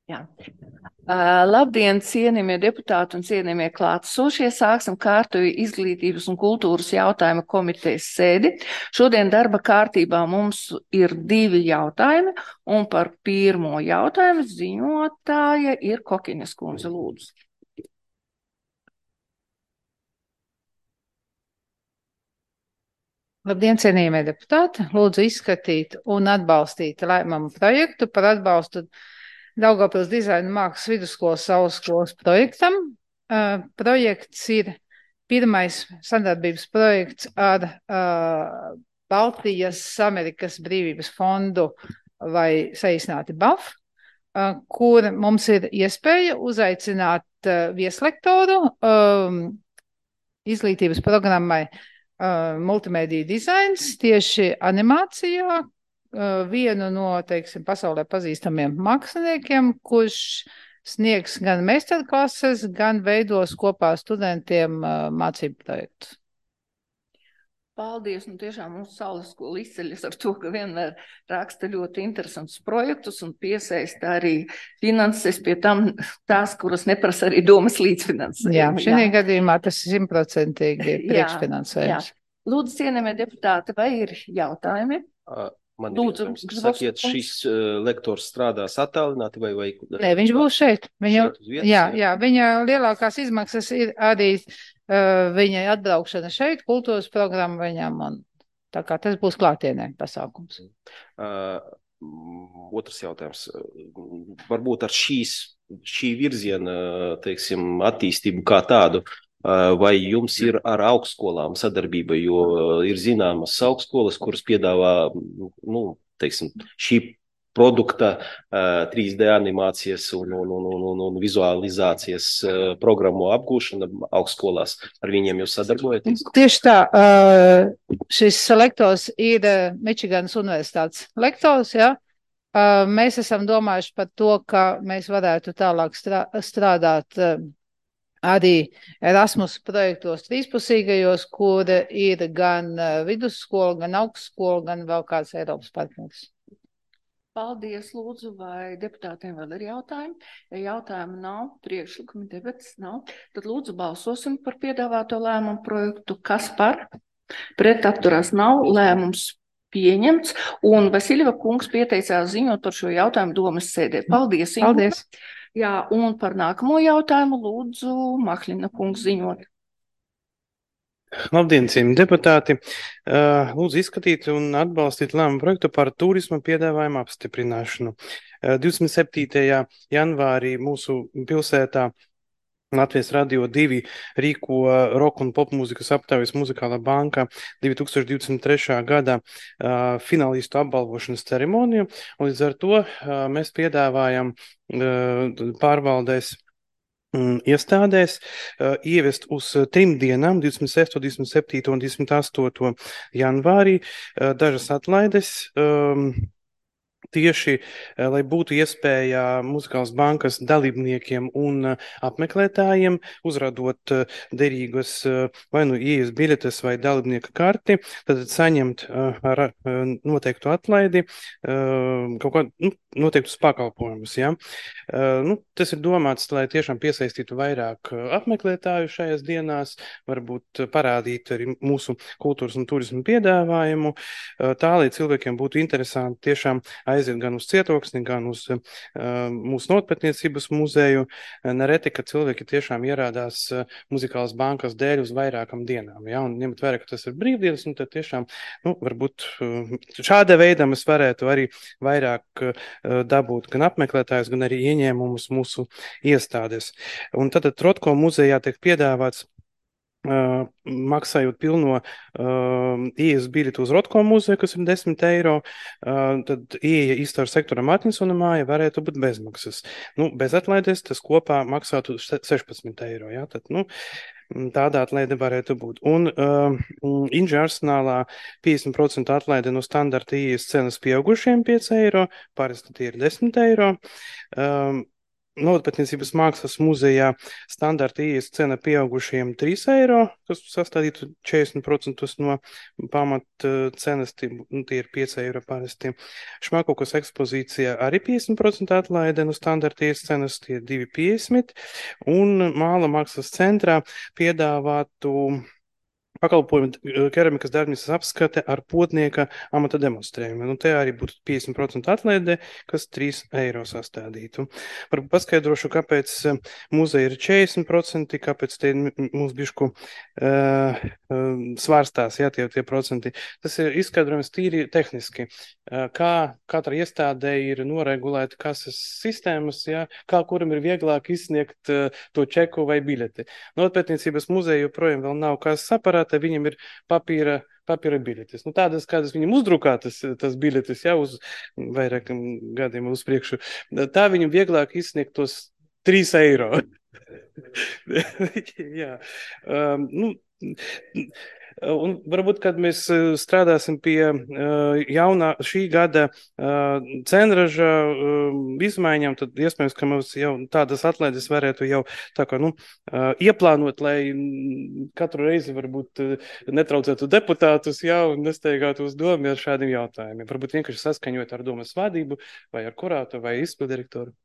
Jā. Labdien, cienījamie deputāti un cienījamie klātesošie. Sāksim kārtoju izglītības un kultūras jautājumu komitejas sēdi. Šodien darba kārtībā mums ir 2 jautājumi, un par pirmo jautājumu ziņotāja ir Kokiņas kundze, lūdzu. Labdien, cienījamie deputāti! Lūdzu izskatīt un atbalstīt lēmumu projektu par atbalstu Daugavpils dizaina mākslas vidusskolas saulesskolas projektam. Projekts ir pirmais sadarbības projekts ar Baltijas Amerikas brīvības fondu vai saīsināti BAF, kur mums ir iespēja uzaicināt vieslektoru izglītības programmai multimediju dizains tieši animācijā, vienu no, teiksim, pasaulē pazīstamiem māksliniekiem, kurš sniegs gan meistarklases, gan veidos kopā studentiem mācību projektus. Paldies, tiešām mums saulesskola izceļas ar to, ka vienmēr raksta ļoti interesantus projektus un piesaista arī finanses, pie tam tās, kuras neprasa arī domas līdzfinansējumu. Jā, šī gadījumā tas 100% ir priekšfinansējums. Lūdzu, cienījamie deputāti, vai ir jautājumi? Man ir jautājums. Sakiet, šis lektors strādās attālināti vai? Nē, viņš būs šeit. Viņa lielākās izmaksas ir arī viņai atbraukšana šeit, kultūras programma viņam, un tā kā tas būs klātienē pasākums. Otrs jautājums. Varbūt ar šī virziena, teiksim, attīstību kā tādu, vai jums ir ar augstskolām sadarbība, jo ir zināmas augstskolas, kuras piedāvā, teiksim, šī produkta 3D animācijas un vizualizācijas programmu apgūšana augstskolās. Ar viņiem jūs sadarbojaties? Tieši tā. Šis lektors ir Mičiganas universitātes lektors, ja? Mēs esam domājuši par to, ka mēs varētu tālāk strādāt arī Erasmus projektos trīspusīgajos, kur ir gan vidusskola, gan augstskola, gan vēl kāds Eiropas partneris. Paldies, lūdzu, vai deputātiem vēl ir jautājumi? Ja jautājumu nav, priekšlikumi debates nav, tad lūdzu balsosim par piedāvāto lēmumu projektu. Kas par? Pret atturās nav, lēmums pieņemts, un Vasiljeva kungs pieteicās ziņot par šo jautājumu domas sēdē. Paldies! Paldies! Jā, un par nākamo jautājumu lūdzu Mahļina kungs ziņot. Labdien, cienījamie deputāti! Lūdzu izskatīt un atbalstīt lēmumu projektu par turisma piedāvājumu apstiprināšanu. 27. janvārī mūsu pilsētā Latvijas Radio 2 rīko roka un popmūzikas aptaujas Muzikālā banka 2023. gada finalistu apbalvošanas ceremoniju, un līdz ar to mēs piedāvājam pārvaldēs iestādēs ievest uz 3 dienām, 26., 27. un 28. janvārī, dažas atlaides, tieši, lai būtu iespēja Muzikālas bankas dalībniekiem un apmeklētājiem, uzradot derīgas vai nu ieejas biļetes vai dalībnieka karti, tad saņemt ar noteiktu atlaidi kaut kādu noteiktus pakalpojumus. Ja? Tas ir domāts, lai tiešām piesaistītu vairāk apmeklētāju šajās dienās, varbūt parādīt arī mūsu kultūras un turismu piedāvājumu, tā, lai cilvēkiem būtu interesanti tiešām aiziet gan uz Cietoksni, gan uz mūsu notpētniecības muzeju. Nereti, ka cilvēki tiešām ierādās Muzikālas bankas dēļ uz vairākam dienām. Ja? Un ņemt vērā, ka tas ir brīvdienas, un tad tiešām, varbūt šāda veida mēs varētu arī vairāk dabūt gan apmeklētājus, gan arī ieņēmumus mūsu iestādes. Un tad Trotko muzejā tiek piedāvāts maksājot pilno ieejas biļeti uz Rotko muzeju, kas ir 10 eiro, tad ieeja Iztāru sektoram Atkinsona māja varētu būt bezmaksas. Bez atlaides tas kopā maksātu 16 eiro. Ja? Tad, tādā atlaide varētu būt. Un Inža arsenālā 50% atlaide no standarta ieejas cenas pieaugušiem 5 eiro, parasti tie ir 10 eiro. Novatpētniecības mākslas muzejā standarta ieejas cena pieaugušajiem 3 eiro, kas sastādītu 40% no pamat cenas, tie ir 5 eiro parasti. Šmakokas ekspozīcijā arī 50% atlaide no standarta ieejas cenas, tie ir 2,50, un Māla mākslas centrā piedāvātu pakalpojumu keramikas darbnīcas apskate ar potnieka amata demonstrējumu. Te arī būtu 50% atlaide, kas 3 eiro sastādītu. Varbūt paskaidrošu, kāpēc muzeja ir 40%, kāpēc te mums bišku svārstās, tie procenti. Tas ir izskaidrojums tīri tehniski. Kā katra iestādē ir noregulēta kases sistēmas, kā kuram ir vieglāk izsniegt to čeku vai biļeti. Novatpētniecības muzeja joprojām vēl nav kases aparāta, viņam ir papīra biļetes. Tādas, kādas viņam uzdrukātas, tas biļetes, uz vairākiem gadiem uz priekšu, tā viņam vieglāk izsniegt tos 3 eiro. Jā. Un varbūt, kad mēs strādāsim pie jaunā šī gada cenraža izmaiņām, tad iespējams, ka mums jau tādas atlaides varētu jau tā kā, ieplānot, lai katru reizi varbūt netraucētu deputātus un nesteigātu uz domu ar šādiem jautājumiem. Varbūt vienkārši saskaņot ar domas vadību vai ar kurātu vai izpildirektoru.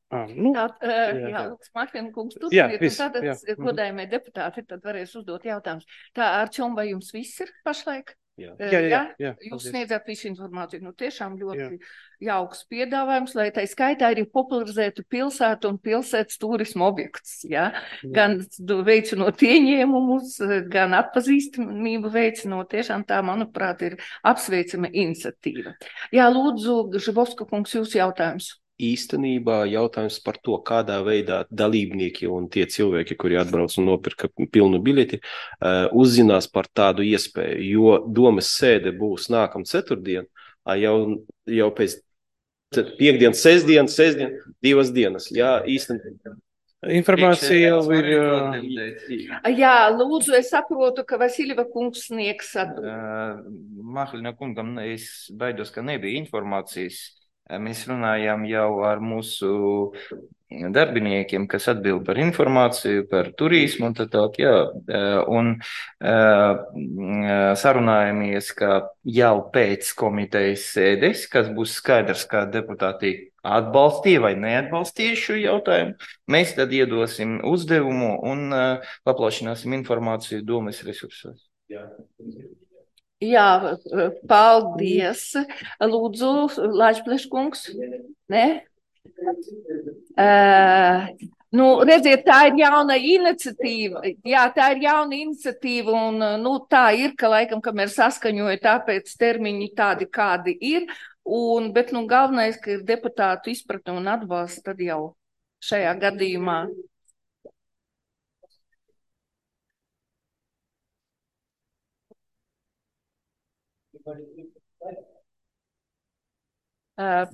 Lūdzu, Martina kungs, turpiniet, un tātad, godājumie deputāti, tad varēs uzdot jautājumus. Tā, Arčom, vai jums viss ir pašlaik? Jā. Jūs sniedzat visu informāciju. Tiešām ļoti jauks piedāvājums, lai tai skaitā arī popularizētu pilsētu un pilsētas turismu objektus. Gan veicinot ieņēmumus, gan atpazīstamību veicinot. Tiešām tā, manuprāt, ir apsveicama iniciatīva. Lūdzu, Žibovska kungs, jūsu jautājums. Īstenībā jautājums par to, kādā veidā dalībnieki un tie cilvēki, kuri atbrauc un nopirka pilnu biļeti, uzzinās par tādu iespēju, jo domas sēde būs nākam ceturtdien, jau pēc piekdienas, sestdien, 2 dienas. Īstenībā. Informācija jau ir. Lūdzu, es saprotu, ka Vasiljeva kungs sniegs atbildi. Mahlina kungam es baidos, ka nebija informācijas. Mēs runājām jau ar mūsu darbiniekiem, kas atbild par informāciju, par turismu un tā tālāk, un sarunājamies, ka jau pēc komitejas sēdes, kas būs skaidrs, kā deputāti atbalstīja vai neatbalstīja šo jautājumu, mēs tad iedosim uzdevumu un paplašināsim informāciju domas resursos. Paldies. Lūdzu, Lāčpleškungs. Nē? Redziet, tā ir jauna iniciatīva. Tā ir jauna iniciatīva un tā ir, ka laikam, kamēr saskaņoja, tāpēc termiņi tādi, kādi ir. Bet galvenais, ka ir deputātu izpratne un atbalsts, tad jau šajā gadījumā.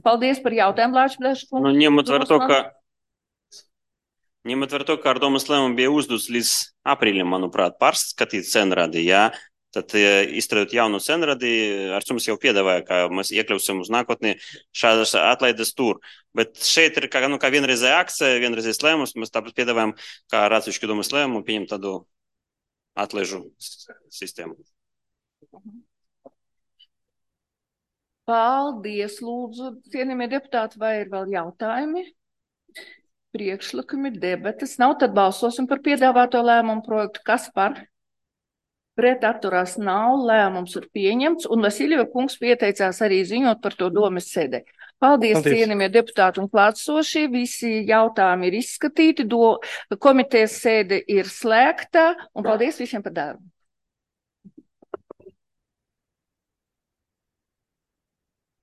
Paldies par jautājumu, Lāčpleškungs. Ņemot vērā to, ka ar domas lēmumu bija uzdots līdz aprīlim, manuprāt, pārskatīt cenradi, tad izstrādāt jaunu cenradi, Arčums jau piedāvāja, ka mēs iekļausim uz nākotni šādas atlaides tur. Bet šeit ir kā vienreizēja akcija, vienreizējais lēmums, mēs tāpat piedāvājam, kā ar atsevišķu domas lēmumu pieņemt tādu atlaižu sistēmu. Paldies, lūdzu, cienījamie deputāti, vai ir vēl jautājumi? Priekšlikumi, debates nav, tad balsosim par piedāvāto lēmumu projektu. Kas par? Pret atturās nav, lēmums ir pieņemts, un Vasiljeva kungs pieteicās arī ziņot par to domas sēdē. Paldies, cienījamie deputāti un klātsošie, visi jautājumi ir izskatīti, komitejas sēde ir slēgta, un paldies visiem par darbu.